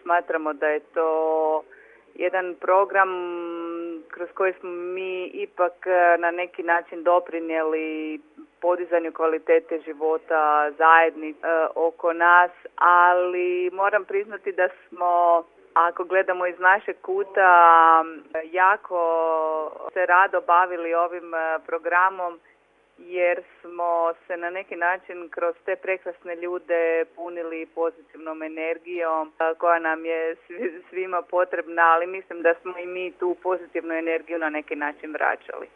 smatramo da je to jedan program kroz koji smo mi ipak na neki način doprinijeli podizanju kvalitete života zajednice oko nas, ali moram priznati da smo, ako gledamo iz našeg kuta, jako se rado bavili ovim programom jer smo se na neki način kroz te prekrasne ljude punili pozitivnom energijom koja nam je svima potrebna, ali mislim da smo i mi tu pozitivnu energiju na neki način vraćali.